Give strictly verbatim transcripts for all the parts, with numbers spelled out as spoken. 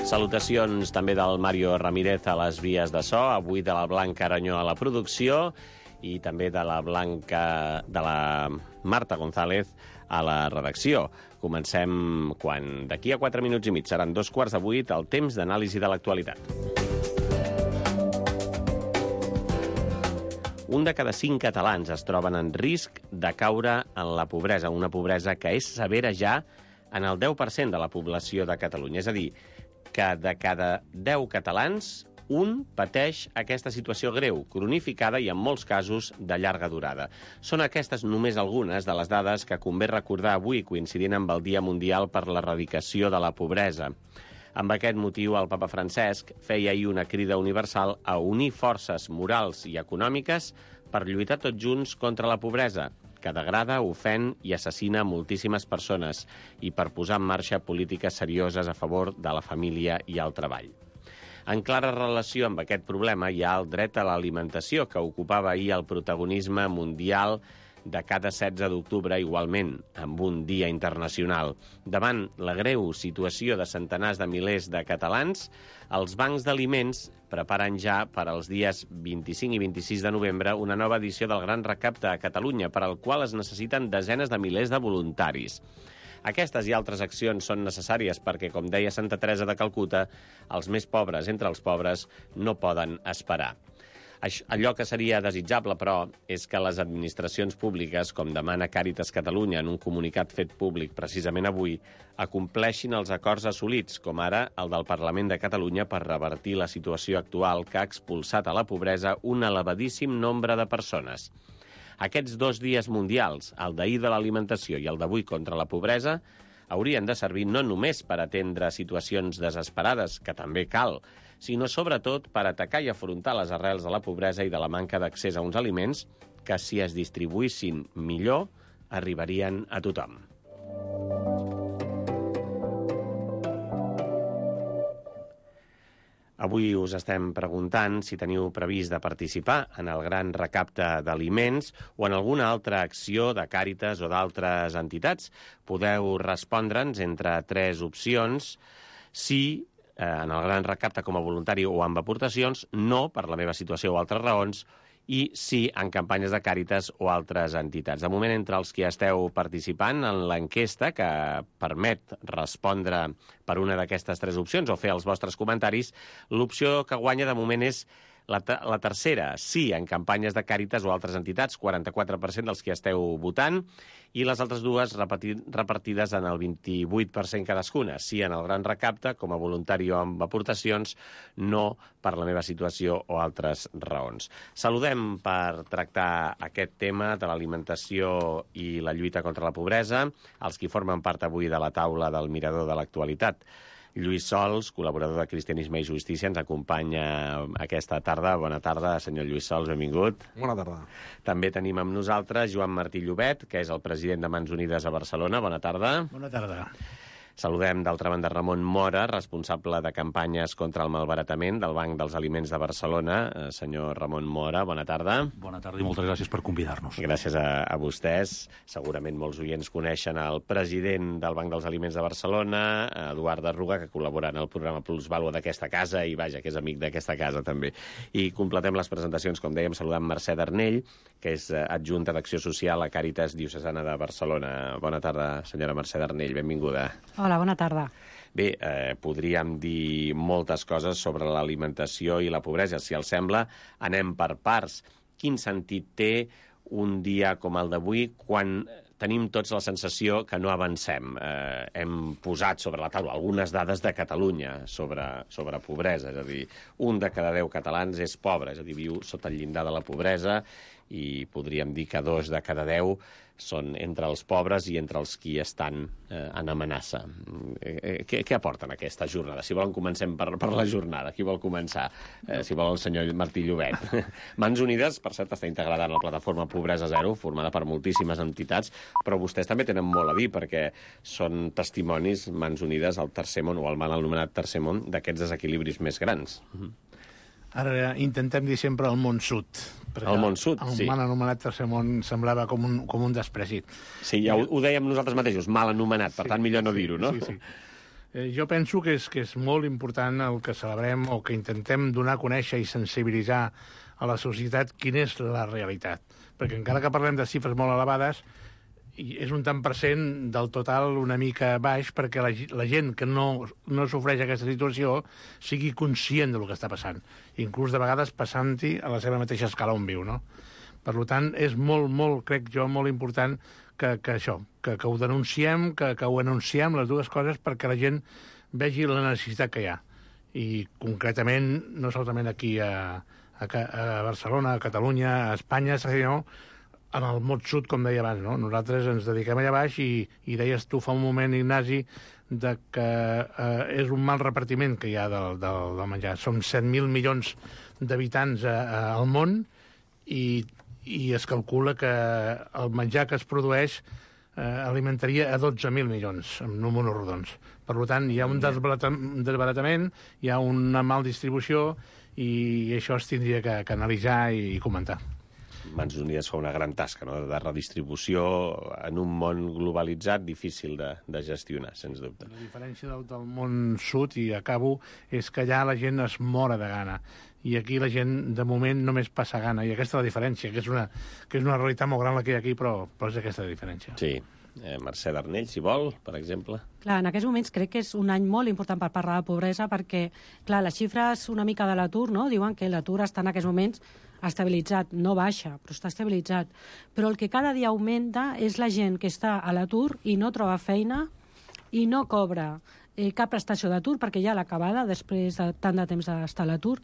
Salutacions també del Mario Ramírez a les vies de so, avui de la Blanca Aranyó a la producció i també de la Blanca, de la Marta González a la redacció. Comencem quan d'aquí a quatre minuts i mig seran dos quarts de vuit, el temps d'anàlisi de l'actualitat. Un de cada cinc catalans es troben en risc de caure en la pobresa, una pobresa que és severa ja en el deu per cent de la població de Catalunya. És a dir, que de cada deu catalans, un pateix aquesta situació greu, cronificada i en molts casos de llarga durada. Són aquestes només algunes de les dades que convé recordar avui, coincidint amb el Dia Mundial per l'Erradicació de la Pobresa. Amb aquest motiu, el papa Francesc feia ahir una crida universal a unir forces morals i econòmiques per lluitar tots junts contra la pobresa, que degrada, ofèn i assassina moltíssimes persones, i per posar en marxa polítiques serioses a favor de la família i el treball. En clara relació amb aquest problema hi ha el dret a l'alimentació, que ocupava ahir el protagonisme mundial de cada setze d'octubre, igualment, amb un dia internacional. Davant la greu situació de centenars de milers de catalans, els bancs d'aliments preparen ja per als dies vint-i-cinc i vint-i-sis de novembre una nova edició del Gran Recapte a Catalunya, per al qual es necessiten desenes de milers de voluntaris. Aquestes i altres accions són necessàries perquè, com deia Santa Teresa de Calcuta, els més pobres entre els pobres no poden esperar. Allò que seria desitjable, però, és que les administracions públiques, com demana Càritas Catalunya en un comunicat fet públic precisament avui, acompleixin els acords assolits, com ara el del Parlament de Catalunya per revertir la situació actual que ha expulsat a la pobresa un elevadíssim nombre de persones. Aquests dos dies mundials, el d'ahir de l'alimentació i el d'avui contra la pobresa, haurien de servir no només per atendre situacions desesperades, que també cal, sinó sobretot per atacar i afrontar les arrels de la pobresa i de la manca d'accés a uns aliments que, si es distribuïssin millor, arribarien a tothom. Avui us estem preguntant si teniu previst de participar en el gran recapte d'aliments o en alguna altra acció de Càritas o d'altres entitats. Podeu respondre'ns entre tres opcions: sí, en el gran recapte com a voluntari o amb aportacions, no, per la meva situació o altres raons, i sí, en campanyes de Càritas o altres entitats. De moment, entre els que esteu participant en l'enquesta, que permet respondre per una d'aquestes tres opcions o fer els vostres comentaris, l'opció que guanya de moment és la, te la tercera, sí, en campanyes de Càritas o altres entitats, quaranta-quatre per cent dels que esteu votant, i les altres dues repartides en el vint-i-vuit per cent cadascuna. Sí, en el gran recapte, com a voluntari o amb aportacions, no per la meva situació o altres raons. Saludem per tractar aquest tema de l'alimentació i la lluita contra la pobresa els qui formen part avui de la taula del Mirador de l'Actualitat. Lluís Sols, col·laborador de Cristianisme i Justícia, ens acompanya aquesta tarda. Bona tarda, senyor Lluís Sols, benvingut. Bona tarda. També tenim amb nosaltres Joan Martí Llobet, que és el president de Mans Unides a Barcelona. Bona tarda. Bona tarda. Saludem, d'altra banda, Ramon Mora, responsable de campanyes contra el malbaratament del Banc dels Aliments de Barcelona. Senyor Ramon Mora, bona tarda. Bona tarda i moltes gràcies per convidar-nos. Gràcies a, a vostès. Segurament molts oients coneixen el president del Banc dels Aliments de Barcelona, Eduard Arruga, que col·labora en el programa Plusvàlua d'aquesta casa i, vaja, que és amic d'aquesta casa, també. I completem les presentacions, com dèiem, saludant Mercè Darnell, que és adjunta d'Acció Social a Càritas Diocesana de Barcelona. Bona tarda, senyora Mercè Darnell, benvinguda. Hola, bona tarda. Bé, eh, podríem dir moltes coses sobre l'alimentació i la pobresa. Si els sembla, anem per parts. Quin sentit té un dia com el d'avui quan tenim tots la sensació que no avancem? Eh, hem posat sobre la taula algunes dades de Catalunya sobre, sobre pobresa. És a dir, un de cada deu catalans és pobre, és a dir, viu sota el llindar de la pobresa, i podríem dir que dos de cada deu són entre els pobres i entre els qui estan eh, en amenaça. Eh, què, què aporten aquesta jornada? Si volen, comencem per, per la jornada. Qui vol començar? Eh, si vol, el senyor Martí Llobet. Mans Unides, per cert, està integrada en la plataforma Pobresa Zero, formada per moltíssimes entitats, però vostès també tenen molt a dir, perquè són testimonis, Mans Unides, al tercer món, o al mal anomenat tercer món, d'aquests desequilibris més grans. Ara intentem dir sempre el món sud. El món sud, el sí. El mal anomenat tercer món semblava com un, com un desprèsit. Sí, ja ho, ho dèiem nosaltres mateixos, mal anomenat, per sí, tant millor no dir-ho, no? Sí, sí. Eh, jo penso que és, que és molt important el que celebrem o que intentem donar a conèixer i sensibilitzar a la societat quina és la realitat. Perquè encara que parlem de xifres molt elevades, és un tant per cent del total una mica baix perquè la, la gent que no, no sofreix aquesta situació sigui conscient del que està passant, inclús de vegades passant-hi a la seva mateixa escala on viu, no? Per tant, és molt, molt, crec jo, molt important que, que això, que, que ho denunciem, que, que ho anunciem, les dues coses, perquè la gent vegi la necessitat que hi ha. I concretament, no solament aquí a, a, a Barcelona, a Catalunya, a Espanya, sinó en el món sud, com deia abans, no? Nosaltres ens dediquem allà baix i, i deies tu fa un moment, Ignasi, de que eh, és un mal repartiment que hi ha del, del, del menjar. Som set mil milions d'habitants eh, al món i, i es calcula que el menjar que es produeix eh, alimentaria a dotze mil milions, amb números rodons. Per tant, hi ha un desbaratament, hi ha una mal distribució i això es tindria que, que analitzar i, i comentar. Mans Unides fa una gran tasca, no?, de redistribució en un món globalitzat difícil de, de gestionar, sens dubte. La diferència del, del món sud, i acabo, és que allà la gent es mora de gana. I aquí la gent, de moment, només passa gana. I aquesta és la diferència, que és una, que és una realitat molt gran la que hi ha aquí, però, però és aquesta la diferència. Sí. Eh, Mercè Darnell, si vol, per exemple. Clar, en aquests moments crec que és un any molt important per parlar de pobresa perquè, clar, les xifres una mica de l'atur, no?, diuen que l'atur està en aquests moments estabilitzat, no baixa, però està estabilitzat. Però el que cada dia augmenta és la gent que està a l'atur i no troba feina i no cobra eh, cap prestació d'atur, perquè ja l'acabada, després de tant de temps d'estar a l'atur,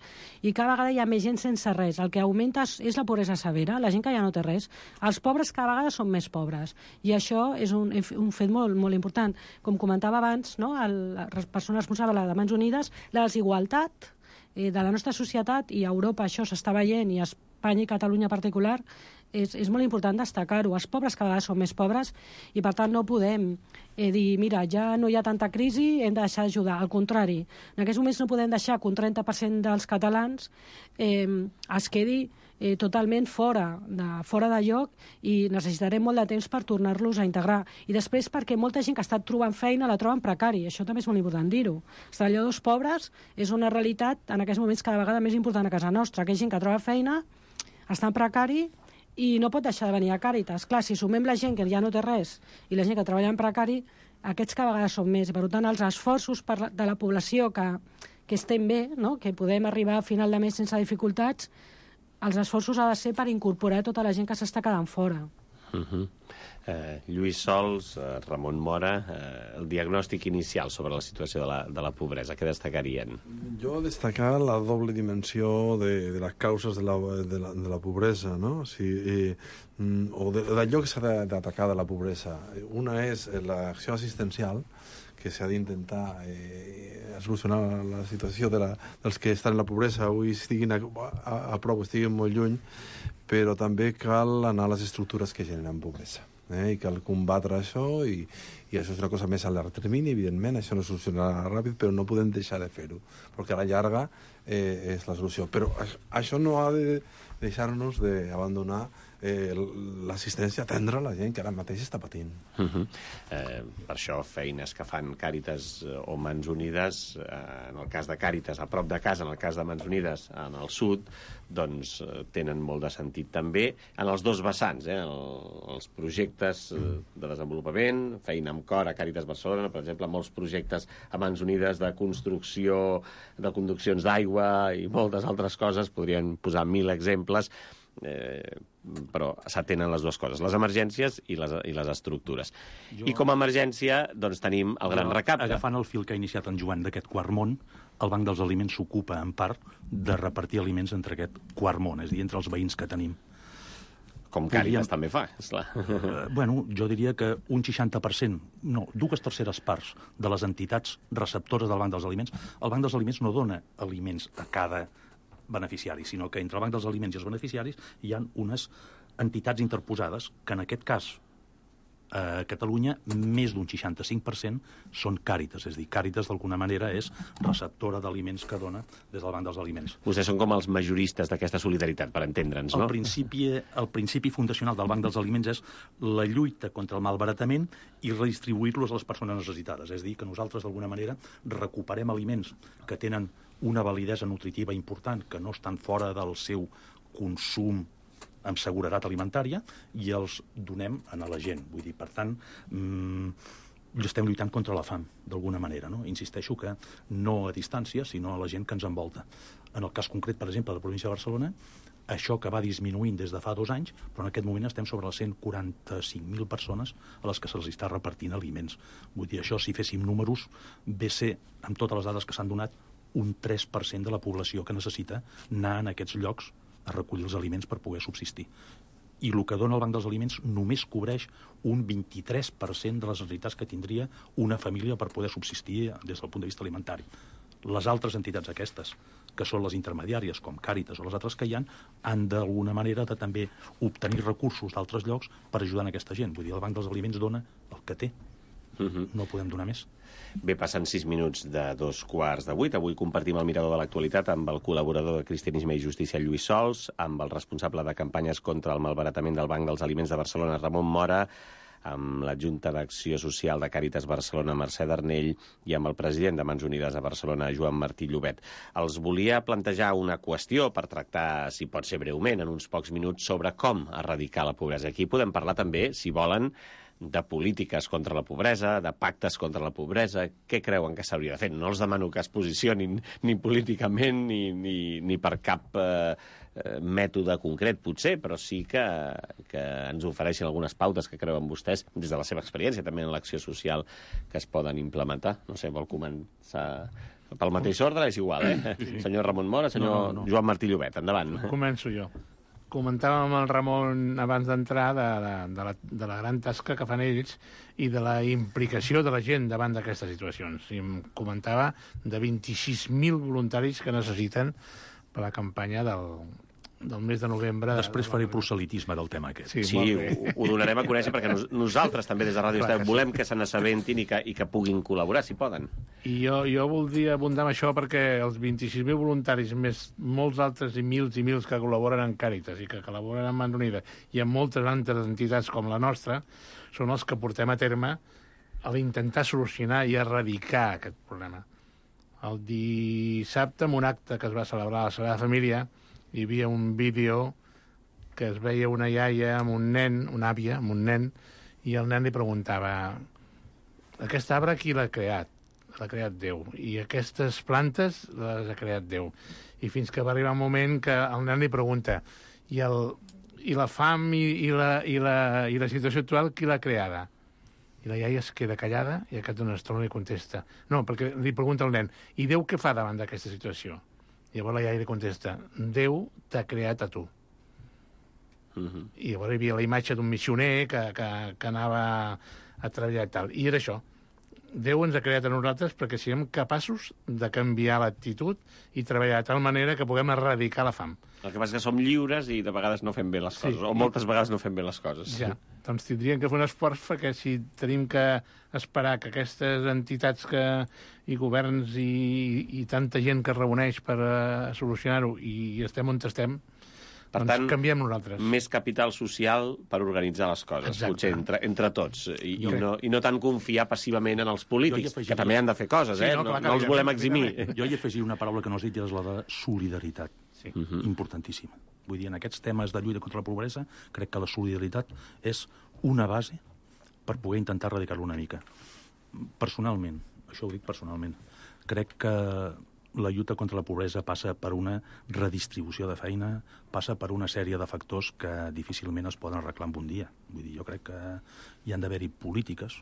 i cada vegada hi ha més gent sense res. El que augmenta és, és la pobresa severa, la gent que ja no té res. Els pobres cada vegada són més pobres, i això és un, un fet molt, molt important. Com comentava abans, no?, el, la persona responsable de Mans Unides, la desigualtat eh, de la nostra societat, i a Europa això s'està veient, i a Espanya i Catalunya en particular, és, és molt important destacar-ho. Els pobres cada vegada són més pobres i, per tant, no podem eh, dir, mira, ja no hi ha tanta crisi, hem de deixar d'ajudar. Al contrari, en aquests moments no podem deixar que un trenta per cent dels catalans eh, es quedi eh, totalment fora de, fora de lloc, i necessitarem molt de temps per tornar-los a integrar. I després perquè molta gent que ha estat trobant feina la troben precari. Això també és molt important dir-ho. Els treballadors pobres és una realitat en aquests moments cada vegada més important a casa nostra. Aquella gent que troba feina està en precari i no pot deixar de venir a Càritas. Clar, si sumem la gent que ja no té res i la gent que treballa en precari, aquests cada vegada són més. Per tant, els esforços per la, de la població que, que estem bé, no?, que podem arribar a final de mes sense dificultats, els esforços ha de ser per incorporar tota la gent que s'està quedant fora. Uh-huh. eh, Lluís Sols, eh, Ramon Mora, eh, el diagnòstic inicial sobre la situació de la, de la pobresa, què destacarien? Jo destacar la doble dimensió de, de les causes de la, de la, de la pobresa, no? O, sigui, eh, o d'allò que s'ha d'atacar de la pobresa. Una és l'acció assistencial, que s'ha d'intentar eh, solucionar la situació de la, dels que estan en la pobresa, avui estiguin a, a, a prop, estiguin molt lluny, però també cal anar a les estructures que generen pobresa. Eh? I cal combatre això, i, i això és una cosa més a llarg termini, evidentment, això no solucionarà ràpid, però no podem deixar de fer-ho, perquè a la llarga eh, és la solució. Però això no ha de deixar-nos d'abandonar eh, l'assistència, atendre la gent que ara mateix està patint. Uh -huh. eh, per això feines que fan Càritas o Mans Unides, eh, en el cas de Càritas a prop de casa, en el cas de Mans Unides en el sud, doncs eh, tenen molt de sentit també en els dos vessants, eh, el, els projectes eh, de desenvolupament, feina amb cor a Càritas Barcelona, per exemple, molts projectes a Mans Unides de construcció de conduccions d'aigua i moltes altres coses, podrien posar mil exemples, eh, però s'atenen les dues coses, les emergències i les, i les estructures. Jo... I com a emergència, doncs, tenim el gran recapte. Agafant el fil que ha iniciat en Joan d'aquest quart món, el Banc dels Aliments s'ocupa, en part, de repartir aliments entre aquest quart món, és a dir, entre els veïns que tenim. Com Càritas també fa, esclar. Uh, bueno, jo diria que un seixanta per cent, no, dues terceres parts de les entitats receptores del Banc dels Aliments, el Banc dels Aliments no dona aliments a cada beneficiari, sinó que entre el Banc dels Aliments i els beneficiaris hi ha unes entitats interposades que en aquest cas A Catalunya, més d'un seixanta-cinc per cent són Càritas. És a dir, Càritas, d'alguna manera, és receptora d'aliments que dona des del Banc dels Aliments. Vostès són com els majoristes d'aquesta solidaritat, per entendre'ns, no? El principi, el principi fundacional del Banc dels Aliments és la lluita contra el malbaratament i redistribuir-los a les persones necessitades. És a dir, que nosaltres, d'alguna manera, recuperem aliments que tenen una validesa nutritiva important, que no estan fora del seu consum amb seguretat alimentària, i els donem a la gent. Vull dir, per tant, mmm, estem lluitant contra la fam, d'alguna manera, no? Insisteixo que no a distància, sinó a la gent que ens envolta. En el cas concret, per exemple, de la província de Barcelona, això que va disminuint des de fa dos anys, però en aquest moment estem sobre les cent quaranta-cinc mil persones a les que se'ls està repartint aliments. Vull dir, això, si féssim números, ve a ser, amb totes les dades que s'han donat, un tres per cent de la població que necessita anar en aquests llocs a recollir els aliments per poder subsistir. I el que dona el Banc dels Aliments només cobreix un vint-i-tres per cent de les necessitats que tindria una família per poder subsistir des del punt de vista alimentari. Les altres entitats aquestes, que són les intermediàries, com Càritas o les altres que hi ha, han d'alguna manera de també obtenir recursos d'altres llocs per ajudar a aquesta gent. Vull dir, el Banc dels Aliments dona el que té. Uh-huh. No podem donar més. Bé, passen sis minuts de dos quarts de vuit. Avui compartim el mirador de l'actualitat amb el col·laborador de Cristianisme i Justícia, Lluís Sols, amb el responsable de campanyes contra el malbaratament del Banc dels Aliments de Barcelona, Ramon Mora, amb l'adjunta d'Acció Social de Càritas Barcelona, Mercè Darnell, i amb el president de Mans Unides a Barcelona, Joan Martí Llobet. Els volia plantejar una qüestió per tractar, si pot ser breument, en uns pocs minuts, sobre com erradicar la pobresa. Aquí podem parlar també, si volen, de polítiques contra la pobresa, de pactes contra la pobresa. Què creuen que s'hauria de fer? No els demano que es posicionin ni políticament ni, ni, ni per cap eh, mètode concret, potser, però sí que, que ens ofereixen algunes pautes que creuen vostès, des de la seva experiència, també en l'acció social, que es poden implementar. No sé, vol començar pel mateix ordre? És igual, eh? Sí. Senyor Ramon Mora, senyor no, no. Joan Martí Llobet, endavant. Començo jo. Comentàvem amb el Ramon abans d'entrar de, de, de, la, de la gran tasca que fan ells i de la implicació de la gent davant d'aquestes situacions. I em comentava de vint-i-sis mil voluntaris que necessiten per la campanya del, del mes de novembre. Després faré proselitisme del tema aquest. Sí, sí ho, ho donarem a conèixer perquè nos, nosaltres també des de Ràdio Estat volem que se n'assabentin i, que, i que puguin col·laborar, si poden. I jo, jo voldria abundar amb això perquè els vint-i-sis mil voluntaris, més molts altres i mils i mils que col·laboren en Càritas i que col·laboren amb Mans Unides i amb moltes altres entitats com la nostra, són els que portem a terme a l'intentar solucionar i erradicar aquest problema. El dissabte, en un acte que es va celebrar a la Sagrada Família, hi havia un vídeo que es veia una iaia amb un nen, una àvia amb un nen, i el nen li preguntava: aquest arbre qui l'ha creat? L'ha creat Déu. I aquestes plantes les ha creat Déu. I fins que va arribar un moment que el nen li pregunta: i, el, i la fam i, i, la, i, la, i la situació actual qui l'ha creada? I la iaia es queda callada i a cap d'una estona li contesta. No, perquè li pregunta al nen: i Déu què fa davant d'aquesta situació? I llavors la iaia li contesta: Déu t'ha creat a tu. Uh-huh. I llavors hi havia la imatge d'un missioner que, que, que anava a treballar i tal. I era això. Déu ens ha creat a nosaltres perquè siguem capaços de canviar l'actitud i treballar de tal manera que puguem erradicar la fam. El que passa és que som lliures i de vegades no fem bé les coses, sí, o moltes vegades no fem bé les coses. Ja, doncs tindríem que fer un esforç perquè si tenim que esperar que aquestes entitats que, i governs i, i tanta gent que es reuneix per uh, solucionar-ho i estem on estem, per doncs tant, canviem nosaltres. Més capital social per organitzar les coses, exacte, potser entre, entre tots, i, i, no, i no tant confiar passivament en els polítics, afegiria... que també han de fer coses, sí, eh? No, no, no els volem eximir. Jo hi afegiria una paraula que no has dit, i és la de solidaritat. Sí. Uh-huh. Importantíssima. Vull dir, en aquests temes de lluita contra la pobresa, crec que la solidaritat és una base per poder intentar erradicar-lo una mica. Personalment, això ho dic personalment, crec que la lluita contra la pobresa passa per una redistribució de feina, passa per una sèrie de factors que difícilment es poden arreglar en un dia. Vull dir, jo crec que hi han d'haver-hi polítiques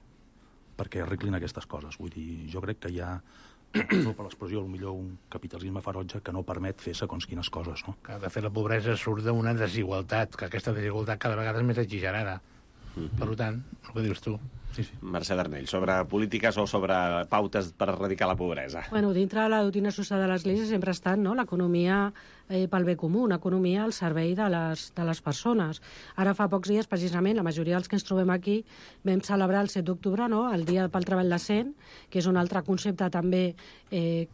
perquè arreglin aquestes coses. Vull dir, jo crec que hi ha, no per l'expressió, millor un capitalisme ferotge que no permet fer segons quines coses, no? Que, de fet, la pobresa surt d'una desigualtat, que aquesta desigualtat cada vegada és més exagerada. Mm-hmm. Per tant, el que dius tu. Sí, sí. Mercè Darnell, sobre polítiques o sobre pautes per erradicar la pobresa? Bueno, dintre de la doctrina social de l'Església sempre ha estat, no?, l'economia eh, pel bé comú, una economia al servei de les, de les persones. Ara fa pocs dies, precisament, la majoria dels que ens trobem aquí vam celebrar el set d'octubre, no?, el Dia pel Treball Decent, que és un altre concepte també eh,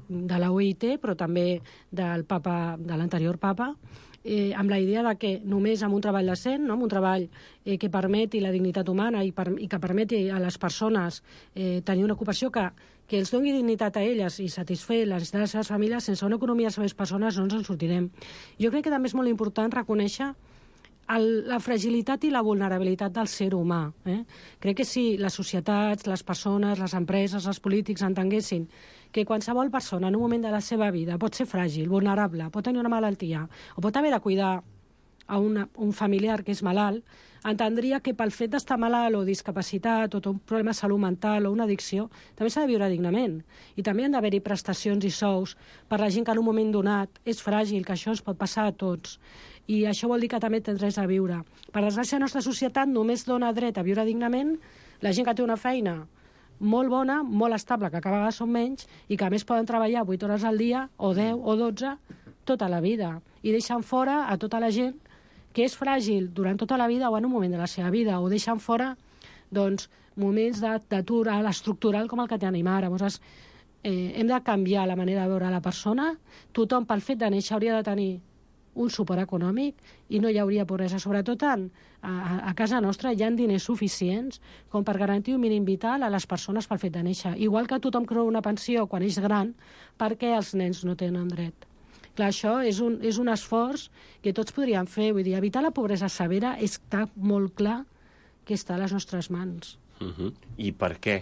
de la O I T, però també del papa, de l'anterior papa, Eh, amb la idea de que només amb un treball decent, no? amb un treball eh, que permeti la dignitat humana i, per, i que permeti a les persones eh, tenir una ocupació que, que els doni dignitat a elles i satisfer les necessitats de les seves famílies, sense una economia de les persones no ens en sortirem. Jo crec que també és molt important reconèixer el, la fragilitat i la vulnerabilitat del ser humà. Eh? Crec que si les societats, les persones, les empreses, els polítics entenguessin que qualsevol persona en un moment de la seva vida pot ser fràgil, vulnerable, pot tenir una malaltia o pot haver de cuidar a una, un familiar que és malalt, entendria que pel fet d'estar malalt o discapacitat o un problema de salut mental o una addicció, també s'ha de viure dignament. I també han d'haver-hi prestacions i sous per la gent que en un moment donat és fràgil, que això ens pot passar a tots. I això vol dir que també tens res a viure. Per desgràcia, la nostra societat només dona dret a viure dignament la gent que té una feina molt bona, molt estable, que cada vegada són menys, i que a més poden treballar vuit hores al dia, o deu, o dotze, tota la vida. I deixen fora a tota la gent que és fràgil durant tota la vida o en un moment de la seva vida, o deixen fora doncs, moments d'atur a l'estructural com el que tenim ara. Llavors, eh, hem de canviar la manera de veure la persona. Tothom, pel fet de néixer, hauria de tenir un suport econòmic i no hi hauria pobresa. Sobretot en, a, a casa nostra hi ha diners suficients com per garantir un mínim vital a les persones pel fet de néixer. Igual que tothom creu una pensió quan és gran, perquè els nens no tenen dret. Clar, això és un, és un esforç que tots podríem fer. Vull dir, evitar la pobresa severa està molt clar que està a les nostres mans. Uh-huh. I per què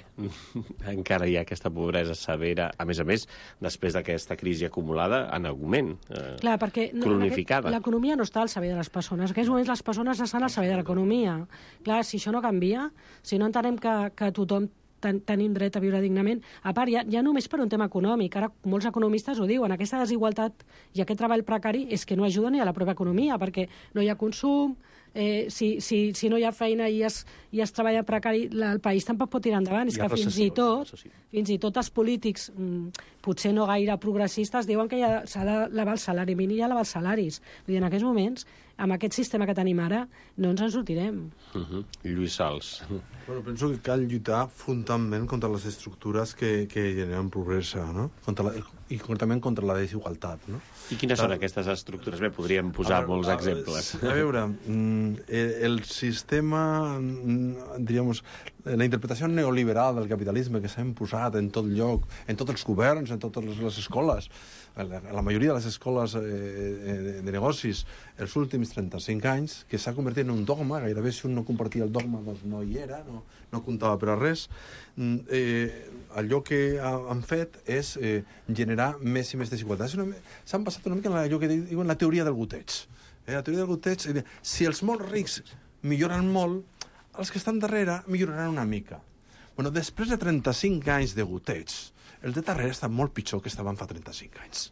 encara hi ha aquesta pobresa severa, a més a més, després d'aquesta crisi acumulada en augment, eh, Clar, perquè cronificada? L'economia no està al servei de les persones. En aquests moments les persones estan al servei de l'economia. Clar, si això no canvia, si no entenem que, que tothom ten, tenim dret a viure dignament, a part, ja, ja només per un tema econòmic, ara molts economistes ho diuen, aquesta desigualtat i aquest treball precari és que no ajuda ni a la pròpia economia, perquè no hi ha consum, Eh, si, si, si no hi ha feina i es, i es treballa precari, la, el país tampoc pot tirar endavant. És que fins i tot fins i tot els polítics, mm, potser no gaire progressistes, diuen que s'ha d'elevar el salari mínim i elevar els salaris. Vull dir, en aquests moments, amb aquest sistema que tenim ara, no ens en sortirem. Uh-huh. Lluís Sals. Bueno, penso que cal lluitar frontalment contra les estructures que, que generen pobresa, no? Contra la, i concretament contra la desigualtat, no? I quines són aquestes estructures? Bé, podríem posar a molts a, exemples. A veure, el sistema, diríem, la interpretació neoliberal del capitalisme que s'ha imposat en tot lloc, en tots els governs, en totes les escoles, la, la majoria de les escoles eh, de negocis, els últims trenta-cinc anys, que s'ha convertit en un dogma, gairebé si un no compartia el dogma doncs no hi era, no, no comptava per a res. Eh, allò que han fet és eh, generar més i més desigualtats. S'han basat una mica en allò que diuen la teoria del goteig. Eh, la teoria del goteig, eh, si els molt rics milloren molt, els que estan darrere milloraran una mica. Bueno, després de trenta-cinc anys de goteig, els de darrere estan molt pitjor que estaven fa trenta-cinc anys.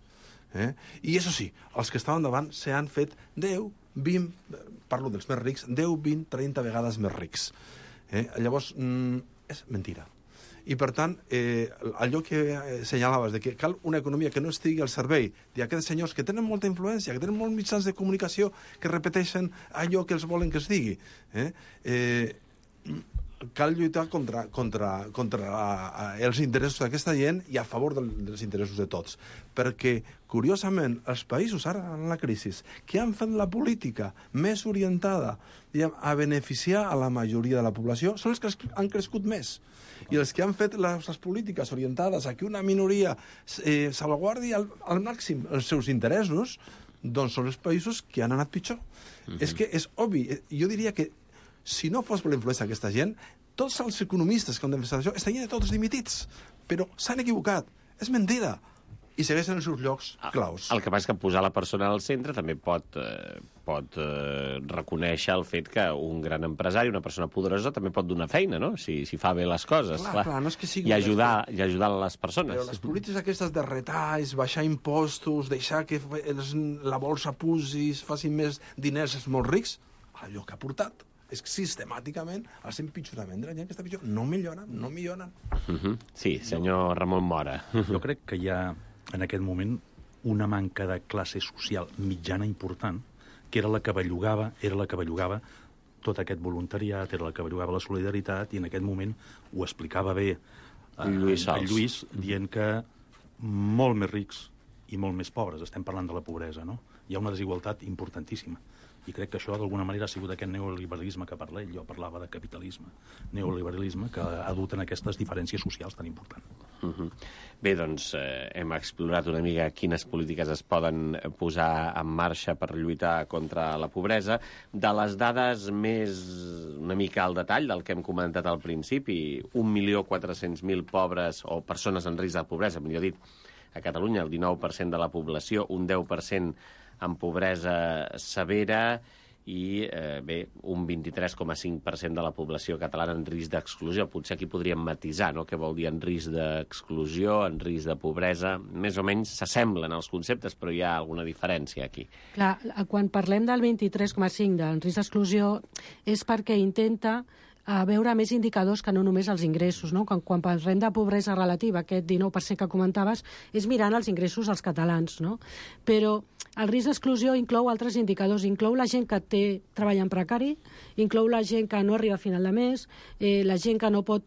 Eh? I això sí, els que estaven davant s'han fet deu, vint, parlo dels més rics, deu, vint, trenta vegades més rics. Eh? Llavors, mm, és mentira. I, per tant, eh, allò que senyalaves, de que cal una economia que no estigui al servei d'aquests senyors que tenen molta influència, que tenen molts mitjans de comunicació que repeteixen allò que els volen que es digui. Eh? Eh, cal lluitar contra, contra, contra els interessos d'aquesta gent i a favor del, dels interessos de tots. Perquè, curiosament, els països ara en la crisi que han fet la política més orientada diguem, a beneficiar a la majoria de la població són els que han crescut més. I els que han fet les, les polítiques orientades a que una minoria eh, salvaguardi al, al màxim els seus interessos, doncs són els països que han anat pitjor. Mm-hmm. És que és obvi. Jo diria que si no fos per la influència d'aquesta gent, tots els economistes que han defensat això estarien tots dimitits. Però s'han equivocat. És mentida. I segueixen els seus llocs claus. El que passa és que posar la persona al centre també pot, eh, pot eh, reconèixer el fet que un gran empresari, una persona poderosa, també pot donar feina, no? Si, si fa bé les coses. Clar, clar, clar no és que sigui I ajudar, i ajudar les persones. Però les polítiques aquestes de retalls, baixar impostos, deixar que els, la bolsa pugi, facin més diners els molt rics, allò que ha portat és que sistemàticament el empitjorament de la gent que està pitjor no millora, no millora. Uh -huh. Sí, senyor Ramon Mora. Jo crec que hi ha, en aquest moment, una manca de classe social mitjana important, que era la que bellugava, era la que bellugava tot aquest voluntariat, era la que bellugava la solidaritat, i en aquest moment ho explicava bé eh, Lluís Sols. el Lluís, dient que molt més rics i molt més pobres, estem parlant de la pobresa, no? Hi ha una desigualtat importantíssima. I crec que això, d'alguna manera, ha sigut aquest neoliberalisme que parla ell. Jo parlava de capitalisme. Neoliberalisme que ha dut en aquestes diferències socials tan importants. Uh -huh. Bé, doncs eh, hem explorat una mica quines polítiques es poden posar en marxa per lluitar contra la pobresa. De les dades més una mica al detall del que hem comentat al principi, un milió quatre-cents mil pobres o persones en risc de pobresa, millor dit, a Catalunya, el dinou per cent de la població, un deu per cent en pobresa severa i, eh, bé, un vint-i-tres coma cinc per cent de la població catalana en risc d'exclusió. Potser aquí podríem matisar, no?, què vol dir en risc d'exclusió, en risc de pobresa. Més o menys s'assemblen els conceptes, però hi ha alguna diferència aquí. Clar, quan parlem del vint-i-tres coma cinc del risc d'exclusió és perquè intenta a veure més indicadors que no només els ingressos, no? Quan, quan parlem de pobresa relativa, aquest dinou per cent que comentaves, és mirant els ingressos dels catalans, no? Però el risc d'exclusió inclou altres indicadors, inclou la gent que té treball en precari, inclou la gent que no arriba a final de mes, eh, la gent que no pot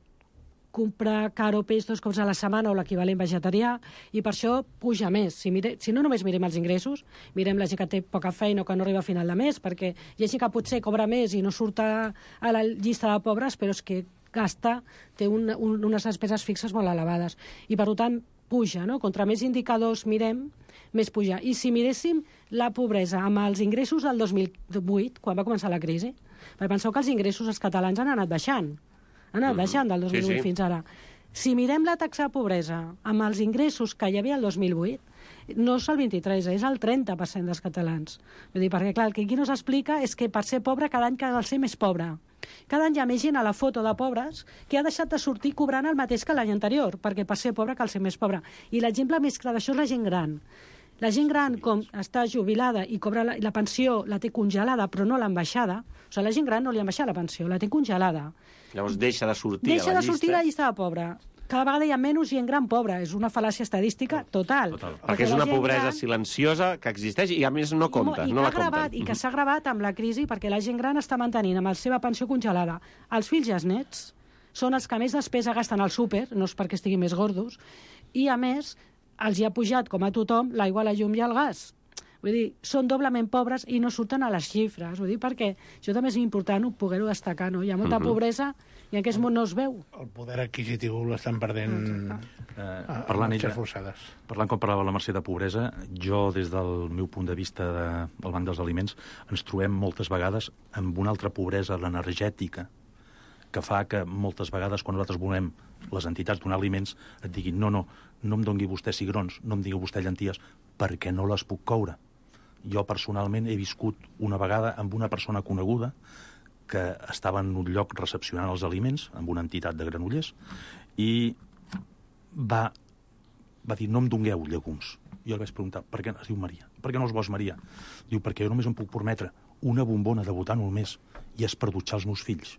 comprar caro peix dos cops a la setmana o l'equivalent vegetarià, i per això puja més. Si, mire, si no només mirem els ingressos, mirem la gent que té poca feina o que no arriba a final de mes, perquè hi ha gent que potser cobra més i no surt a, a la llista de pobres, però és que gasta, té un, un, unes despeses fixes molt elevades. I per tant, puja, no? Contra més indicadors mirem, més puja. I si miréssim la pobresa amb els ingressos del dos mil vuit, quan va començar la crisi, perquè penseu que els ingressos dels catalans han anat baixant. Han anat baixant del dos mil vuit sí, sí. fins ara. Si mirem la taxa de pobresa amb els ingressos que hi havia el dos mil vuit, no és el vint-i-tres, és el trenta per cent dels catalans. Vull dir, perquè, clar, el que aquí no s'explica és que per ser pobre cada any cal ser més pobre. Cada any hi ha més gent a la foto de pobres que ha deixat de sortir cobrant el mateix que l'any anterior, perquè per ser pobre cal ser més pobre. I l'exemple més clar d'això és la gent gran. La gent gran, com està jubilada i cobra la, la pensió, la té congelada, però no l'han baixada. O sigui, la gent gran no li han baixat la pensió, la té congelada. Llavors deixa de sortir deixa a la llista. Deixa de sortir a la llista de pobre. Cada vegada hi ha menys gent gran pobra. És una fal·làcia estadística total. total. Perquè, perquè és una pobresa gran... silenciosa que existeix i a més no compta. I, no que, la gravat, i que s'ha gravat amb la crisi perquè la gent gran està mantenint amb la seva pensió congelada. Els fills i els nets són els que més despesa gasten al súper, no és perquè estiguin més gordos, i a més els hi ha pujat, com a tothom, l'aigua, la llum i el gas. Vull dir, són doblement pobres i no surten a les xifres. Vull dir, perquè això també és important poder-ho destacar, no? Hi ha molta uh -huh. pobresa i en aquest món no es veu. El poder adquisitiu l'estan perdent eh, parlant, ella, forçades. Parlant com parlava la Mercè de pobresa, jo, des del meu punt de vista de, del Banc dels Aliments, ens trobem moltes vegades amb una altra pobresa, l'energètica, que fa que moltes vegades, quan nosaltres volem les entitats donar aliments, et diguin no, no, no em doni vostè cigrons, no em digui vostè llenties, perquè no les puc coure. Jo personalment he viscut una vegada amb una persona coneguda que estava en un lloc recepcionant els aliments, amb una entitat de Granollers, i va, va dir, no em dongueu llegums. Jo li vaig preguntar, per què? Es diu Maria. Per què no els vols, Maria? Diu, perquè jo només em puc permetre una bombona de butano al mes i és per dutxar els meus fills.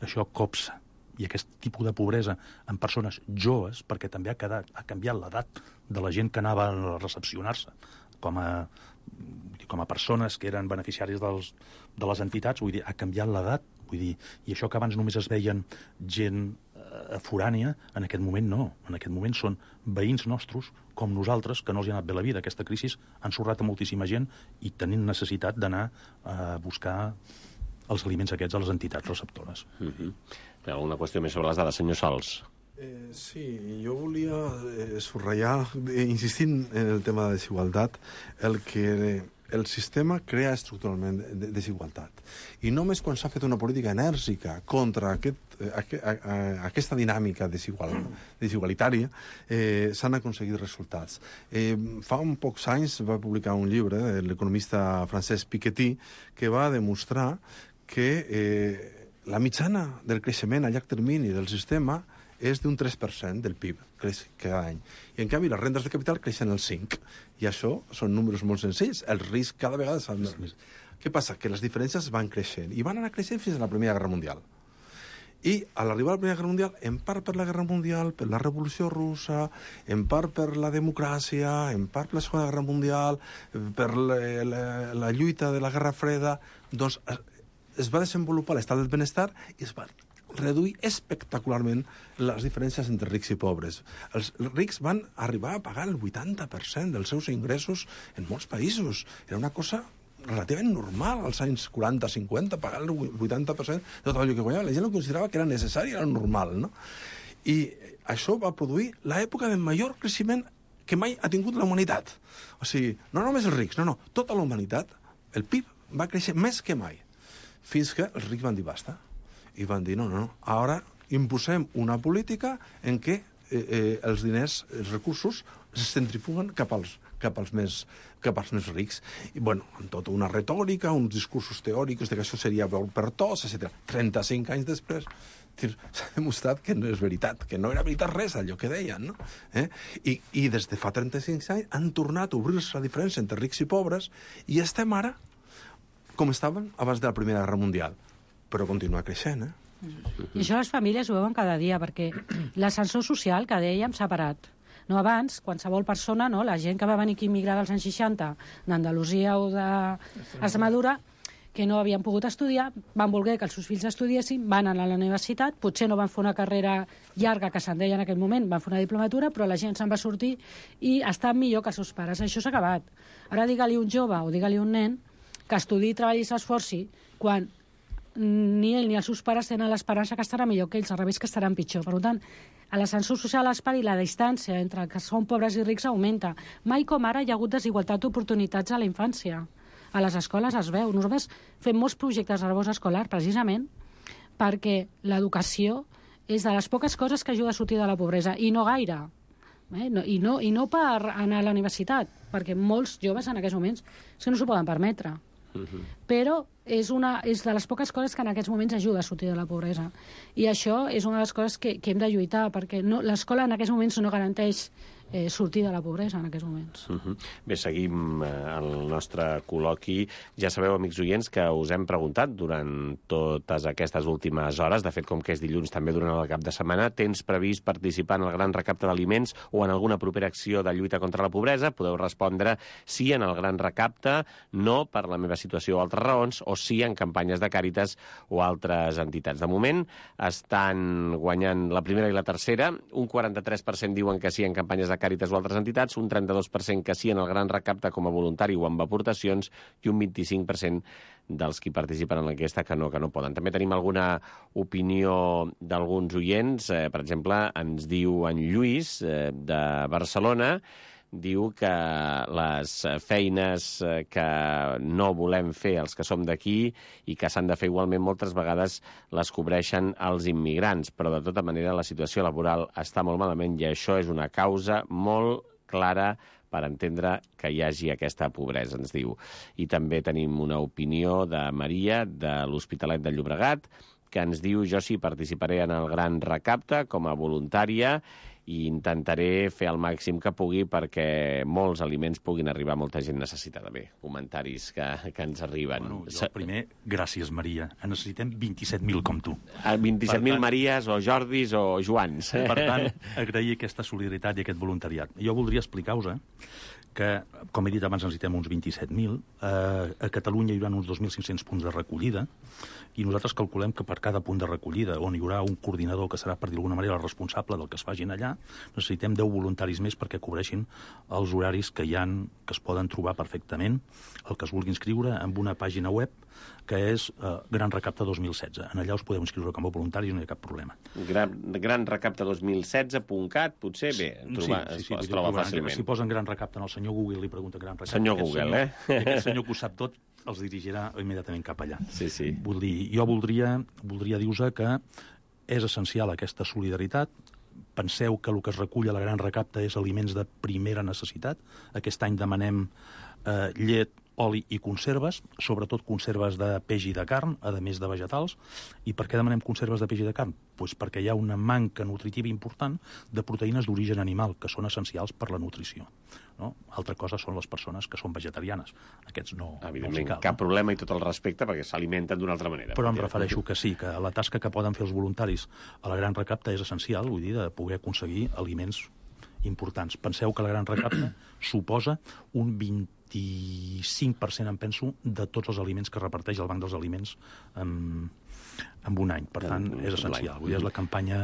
Això copsa. I aquest tipus de pobresa en persones joves, perquè també ha, quedat, ha canviat l'edat de la gent que anava a recepcionar-se com a, com a persones que eren beneficiaris dels, de les entitats, vull dir, ha canviat l'edat, vull dir, i això que abans només es veien gent eh, forània, en aquest moment no. En aquest moment són veïns nostres, com nosaltres, que no els hi ha anat bé la vida. Aquesta crisi ha ensorrat a moltíssima gent i tenint necessitat d'anar a buscar els aliments aquests a les entitats receptores. Mm-hmm. Hi ha alguna qüestió més sobre les dades, senyor Sols? Eh, sí, jo volia eh, subratllar, eh, insistint en el tema de desigualtat, el que el sistema crea estructuralment de desigualtat. I només quan s'ha fet una política enèrgica contra aquest, eh, aqu a, aquesta dinàmica desigual, desigualitària, eh, s'han aconseguit resultats. Eh, fa un pocs anys va publicar un llibre de l'economista Francesc Piketty que va demostrar que eh, la mitjana del creixement a llarg termini del sistema és d'un tres per cent del P I B, creix cada any. I, en canvi, les rendes de capital creixen el cinc per cent. I això són números molt senzills. El risc cada vegada s'ha més. què passa? Que les diferències van creixent, i van anar creixent fins a la Primera Guerra Mundial. I a l'arribar a la Primera Guerra Mundial, en part per la Guerra Mundial, per la Revolució Russa, en part per la democràcia, en part per la Segona Guerra Mundial, per la, la, la lluita de la Guerra Freda, doncs es va desenvolupar l'estat del benestar i es va reduir espectacularment les diferències entre rics i pobres. Els rics van arribar a pagar el vuitanta per cent dels seus ingressos en molts països. Era una cosa relativament normal als anys quaranta cinquanta, pagar el vuitanta per cent de tot allò que guanyava. La gent ho considerava que era necessari, era normal, no? I això va produir l'època del major creixement que mai ha tingut la humanitat. O sigui, no només els rics, no, no, tota la humanitat, el P I B va créixer més que mai, fins que els rics van dir basta. I van dir, no, no, no, ara imposem una política en què eh, eh, els diners, els recursos, es centrifuguen cap als, cap als, més, cap als més rics. I, bueno, amb tota una retòrica, uns discursos teòrics de que això seria bo per tots, etcètera. trenta-cinc anys després s'ha demostrat que no és veritat, que no era veritat res allò que deien, no? Eh? I, I des de fa trenta-cinc anys han tornat a obrir-se la diferència entre rics i pobres i estem ara com estàvem abans de la Primera Guerra Mundial. Però continua creixent, eh? I això les famílies ho veuen cada dia, perquè l'ascensor social, que dèiem, s'ha parat. No, abans, qualsevol persona, no, la gent que va venir aquí immigrar dels anys seixanta, d'Andalusia o d'Extremadura, que no havien pogut estudiar, van voler que els seus fills estudiessin, van anar a la universitat, potser no van fer una carrera llarga, que se'n deia en aquell moment, van fer una diplomatura, però la gent se'n va sortir i està millor que els seus pares. Això s'ha acabat. Ara digue-li un jove o digue-li un nen que estudi i treballi i s'esforci, quan ni ell ni els seus pares tenen l'esperança que estarà millor que ells, al revés que estaran pitjor. Per tant, a l'ascensor social es pari, la distància entre que són pobres i rics augmenta. Mai com ara hi ha hagut desigualtat d'oportunitats a la infància. A les escoles es veu. Nosaltres fem molts projectes de rebost escolar, precisament perquè l'educació és de les poques coses que ajuda a sortir de la pobresa, i no gaire. Eh? No, i, no, I no per anar a la universitat, perquè molts joves en aquests moments és que no s'ho poden permetre. Uh-huh. Però és, una, és de les poques coses que en aquests moments ajuda a sortir de la pobresa. I això és una de les coses que, que hem de lluitar, perquè no, l'escola en aquests moments no garanteix eh, sortir de la pobresa en aquests moments. Uh-huh. Bé, seguim eh, el nostre col·loqui. Ja sabeu, amics oients, que us hem preguntat durant totes aquestes últimes hores, de fet, com que és dilluns també durant el cap de setmana, tens previst participar en el gran recapte d'aliments o en alguna propera acció de lluita contra la pobresa? Podeu respondre sí en el gran recapte, no per la meva situació o altres raons, o sí en campanyes de Càritas o altres entitats. De moment estan guanyant la primera i la tercera. Un quaranta-tres per cent diuen que sí en campanyes de Càritas o altres entitats, un trenta-dos per cent que sí en el gran recapte com a voluntari o amb aportacions i un vint-i-cinc per cent dels qui participen en l'enquesta que no, que no poden. També tenim alguna opinió d'alguns oients. Eh, per exemple, ens diu en Lluís, eh, de Barcelona, diu que les feines que no volem fer els que som d'aquí i que s'han de fer igualment moltes vegades les cobreixen els immigrants, però de tota manera la situació laboral està molt malament i això és una causa molt clara per entendre que hi hagi aquesta pobresa, ens diu. I també tenim una opinió de Maria, de l'Hospitalet de Llobregat, que ens diu: jo sí participaré en el gran recapte com a voluntària i intentaré fer el màxim que pugui perquè molts aliments puguin arribar a molta gent necessitada. Bé, comentaris que, que ens arriben. Bueno, jo primer, gràcies, Maria. En necessitem vint-i-set mil com tu. vint-i-set mil Maries o Jordis o Joans. Per tant, agrair aquesta solidaritat i aquest voluntariat. Jo voldria explicar-vos eh, que, com he dit abans, necessitem uns vint-i-set mil. Eh, a Catalunya hi haurà uns dos mil cinc-cents punts de recollida i nosaltres calculem que per cada punt de recollida, on hi haurà un coordinador que serà, per dir d'alguna manera, el responsable del que es facin allà, necessitem deu voluntaris més perquè cobreixin els horaris que hi han, que es poden trobar perfectament, el que es vulgui inscriure amb una pàgina web que és eh, Gran Recapte dos mil setze. En allà us podeu inscriure com a voluntaris i no hi ha cap problema. Gran, gran recapte dos mil setze punt cat, potser, bé, trobar, sí, sí, sí, es, es troba fàcilment. Si posen Gran Recapte en el senyor Google i li pregunta Gran Recapte... Senyor Google, senyor, eh? I aquest senyor que ho sap tot els dirigirà immediatament cap allà. Sí, sí. Vull dir, jo voldria, voldria dir-vos que és essencial aquesta solidaritat. Penseu que el que es recull a la Gran Recapte és aliments de primera necessitat. Aquest any demanem eh, llet, oli i conserves, sobretot conserves de peix i de carn, a més de vegetals. I per què demanem conserves de peix i de carn? Pues perquè hi ha una manca nutritiva important de proteïnes d'origen animal, que són essencials per la nutrició. No? Altra cosa són les persones que són vegetarianes. Aquests no, Evidentment, no cal, cap no? problema i tot el respecte, perquè s'alimenten d'una altra manera. Però em refereixo que sí, que la tasca que poden fer els voluntaris a la Gran Recapta és essencial, vull dir, de poder aconseguir aliments importants. Penseu que la Gran Recapta suposa un vint-i-cinc per cent, em penso, de tots els aliments que reparteix el Banc dels Aliments en, en un any. Per tant, és essencial. Vull dir, és la campanya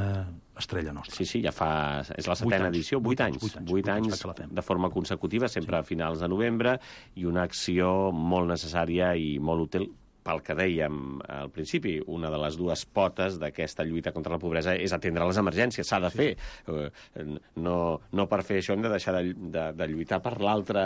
estrella nostra. Sí, sí, ja fa... És la setena edició, vuit anys. Vuit anys de forma consecutiva, sempre a finals de novembre, i una acció molt necessària i molt útil pel que dèiem al principi, una de les dues potes d'aquesta lluita contra la pobresa és atendre les emergències, s'ha de fer. No, no per fer això hem de deixar de, de, de lluitar per l'altra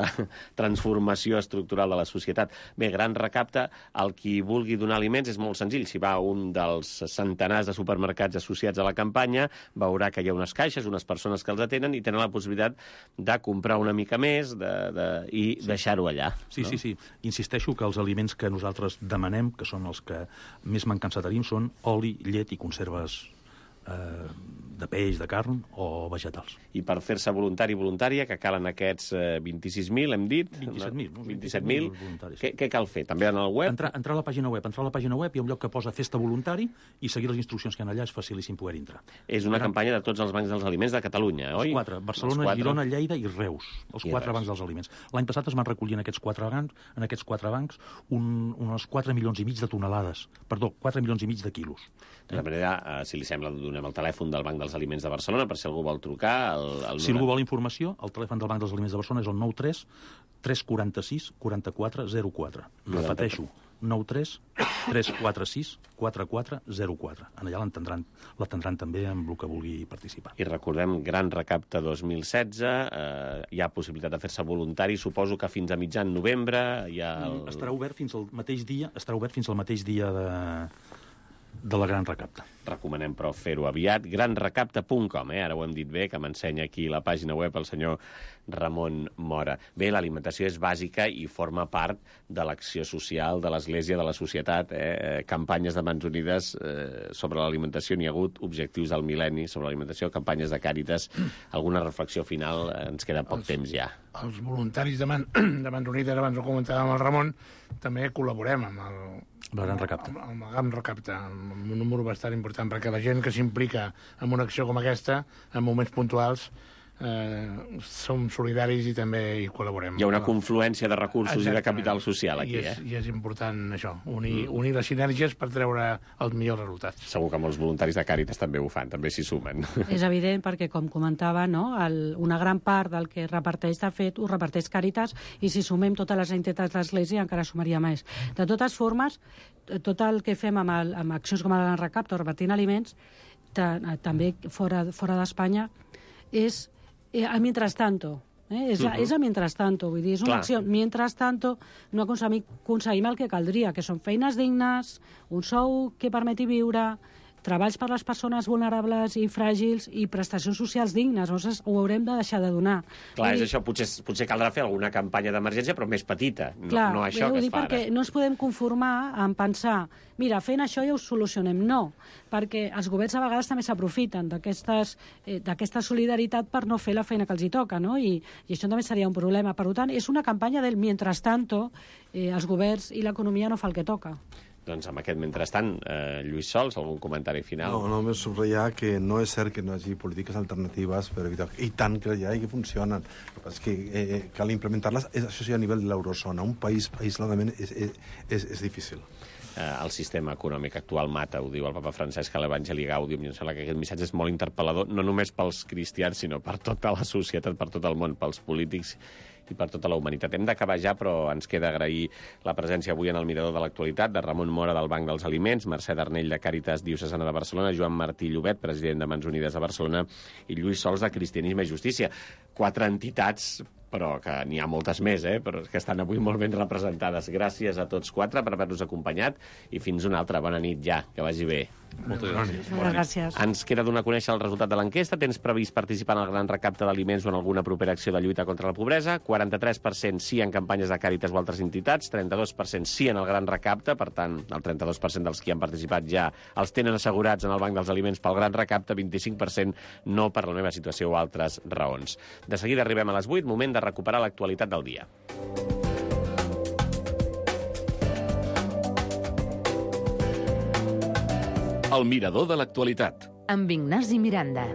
transformació estructural de la societat. Bé, Gran Recapta, el qui vulgui donar aliments és molt senzill. Si va a un dels centenars de supermercats associats a la campanya, veurà que hi ha unes caixes, unes persones que els atenen i tenen la possibilitat de comprar una mica més de, de, i sí. deixar-ho allà. Sí, no? sí, sí. Insisteixo que els aliments que nosaltres demanem demanem, que són els que més me'n cansatarim, són oli, llet i conserves eh, de peix, de carn o vegetals. I per fer-se voluntari i voluntària, que calen aquests eh, vint-i-sis mil, hem dit? vint-i-set mil. No? vint-i-set mil. Què, què cal fer? També en el web? Entrar, entrar a la pàgina web. Entrar a la pàgina web hi ha un lloc que posa festa voluntari i seguir les instruccions que hi ha allà és facilíssim poder entrar. És una Entrar... campanya de tots els bancs dels aliments de Catalunya, oi? Els quatre. Barcelona, els quatre. Girona, Lleida i Reus. Els I quatre Reus. Bancs dels aliments. L'any passat es van recollir en aquests quatre bancs, en aquests quatre bancs un, uns quatre milions i mig de tonelades. Perdó, quatre milions i mig de quilos. De manera, eh, si li sembla, donem el telèfon del Banc dels Aliments de Barcelona per si algú vol trucar. El, el si algú vol informació, el telèfon del Banc dels Aliments de Barcelona és el nou tres tres quatre sis quatre quatre zero quatre. Repeteixo, nou tres tres quatre sis quatre quatre zero quatre. En allà l'atendran l'atendran també amb el que vulgui participar. I recordem, Gran Recapta dos mil setze, eh, hi ha possibilitat de fer-se voluntari, suposo que fins a mitjan novembre hi ha... El... Estarà obert fins al mateix dia, estarà obert fins al mateix dia de... de la Gran Recapta. Recomanem, però, fer-ho aviat. gran recapta punt com, eh? Ara ho hem dit bé, que m'ensenya aquí la pàgina web el senyor Ramon Mora. Bé, l'alimentació és bàsica i forma part de l'acció social de l'Església, de la societat. Eh? Campanyes de Mans Unides eh, sobre l'alimentació, n'hi ha hagut objectius del mil·lenni sobre l'alimentació, campanyes de Càritas. Alguna reflexió final? Ens queda poc els, temps ja. Els voluntaris de, Man, de Mans Unides, abans ho comentàvem amb el Ramon, també col·laborem amb el la Gran Recapta. Amb, amb la Gran Recapta, amb un número bastant important, perquè la gent que s'implica en una acció com aquesta, en moments puntuals, eh, som solidaris i també hi col·laborem. Hi ha una confluència de recursos Exactament. I de capital social aquí, I és, eh? I és important això, unir, mm. unir les sinergies per treure els millors resultats. Segur que molts voluntaris de Càritas també ho fan, també s'hi sumen. És evident, perquè, com comentava, no, el, una gran part del que reparteix, de fet, ho reparteix Càritas, i si sumem totes les entitats de l'Església encara sumaria més. De totes formes, tot el que fem amb, el, amb accions com la Gran Recapta o repartint aliments, també fora, fora d'Espanya, és eh, a mientras tanto. Eh? És, uh -huh. és a mientras tanto, vull dir, és una Clar. acció. Mientras tanto, no aconseguim, aconseguim el que caldria, que són feines dignes, un sou que permeti viure, treballs per les persones vulnerables i fràgils i prestacions socials dignes. Llavors ho haurem de deixar de donar. Clar, és dir... això. Potser, potser caldrà fer alguna campanya d'emergència, però més petita. No, Clar, no això que es fa perquè ara. No ens podem conformar en pensar mira, fent això ja ho solucionem. No, perquè els governs a vegades també s'aprofiten d'aquesta eh, solidaritat per no fer la feina que els hi toca, no? I, i això també seria un problema. Per tant, és una campanya del mientras tanto, eh, els governs i l'economia no fa el que toca. Doncs amb aquest mentrestant, eh, Lluís Sols, algun comentari final? No, només subratllar que no és cert que no hi hagi polítiques alternatives per evitar... I tant que hi ha i que funcionen. El que passa és que eh, cal implementar-les, això sí a nivell de l'eurozona. Un país aïsladament és, és, és, és difícil. Eh, el sistema econòmic actual mata, ho diu el papa Francesc a l'Evangeli Gaudium, i em sembla que aquest missatge és molt interpel·lador, no només pels cristians, sinó per tota la societat, per tot el món, pels polítics i per tota la humanitat. Hem d'acabar ja, però ens queda agrair la presència avui en el Mirador de l'Actualitat de Ramon Mora, del Banc dels Aliments, Mercè Darnell, de Càritas Diocesana de Barcelona, Joan Martí Llobet, president de Mans Unides de Barcelona, i Lluís Sols, de Cristianisme i Justícia. quatre entitats, però que n'hi ha moltes més, eh? Però que estan avui molt ben representades. Gràcies a tots quatre per haver-nos acompanyat i fins una altra. Bona nit ja, que vagi bé. Moltes gràcies. Moltes gràcies. Ens queda donar a conèixer el resultat de l'enquesta. Tens previst participar en el gran recapte d'aliments o en alguna propera acció de lluita contra la pobresa? quaranta-tres per cent sí en campanyes de Càritas o altres entitats, trenta-dos per cent sí en el gran recapte, per tant, el trenta-dos per cent dels que han participat ja els tenen assegurats en el Banc dels Aliments pel gran recapte, vint-i-cinc per cent no per la meva situació o altres raons. De seguida arribem a les vuit, moment de recuperar l'actualitat del dia. El mirador de l'actualitat. Amb Ignasi Miranda.